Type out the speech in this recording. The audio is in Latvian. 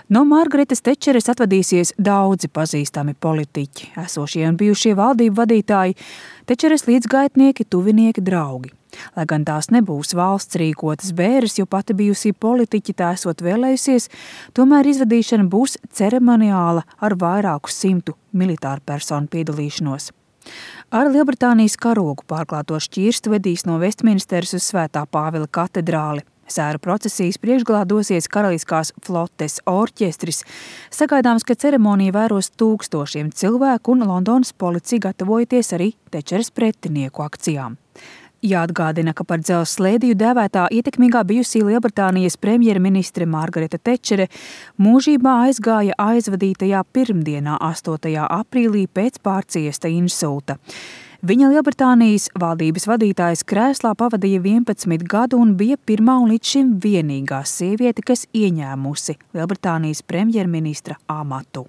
No Margaretas Tečeres atvadīsies daudzi pazīstami politiķi, esošie un bijušie valdību vadītāji, Tečeres līdzgaitnieki, tuvinieki, draugi. Lai gan tās nebūs valsts rīkotas bēres, jo pati bijusī politiķi tā esot vēlējusies, tomēr izvadīšana būs ceremoniāla ar vairāku simtu militāru personu piedalīšanos. Ar Lielbritānijas karogu pārklāto šķirstu vedīs no Vestminsteras uz Svētā Pāvila katedrāli. Sēru procesijas priekšgalā dosies Karaliskās flotes orķestris. Sagaidāms, ka ceremoniju vēros tūkstošiem cilvēku un Londonas policija gatavojoties arī Tečeres pretinieku akcijām. Jāatgādina, ka par dzelzs slēdiju dēvētā ietekmīgā bijusī Lielbritānijas premjerministre Margareta Tečere mūžībā aizgāja aizvadītajā pirmdienā 8. aprīlī pēc pārciesta insulta. Viņa Lielbritānijas valdības vadītājas krēslā pavadīja 11 gadu un bija pirmā un līdz šim vienīgā sieviete, kas ieņēmusi Lielbritānijas premjerministra amatu.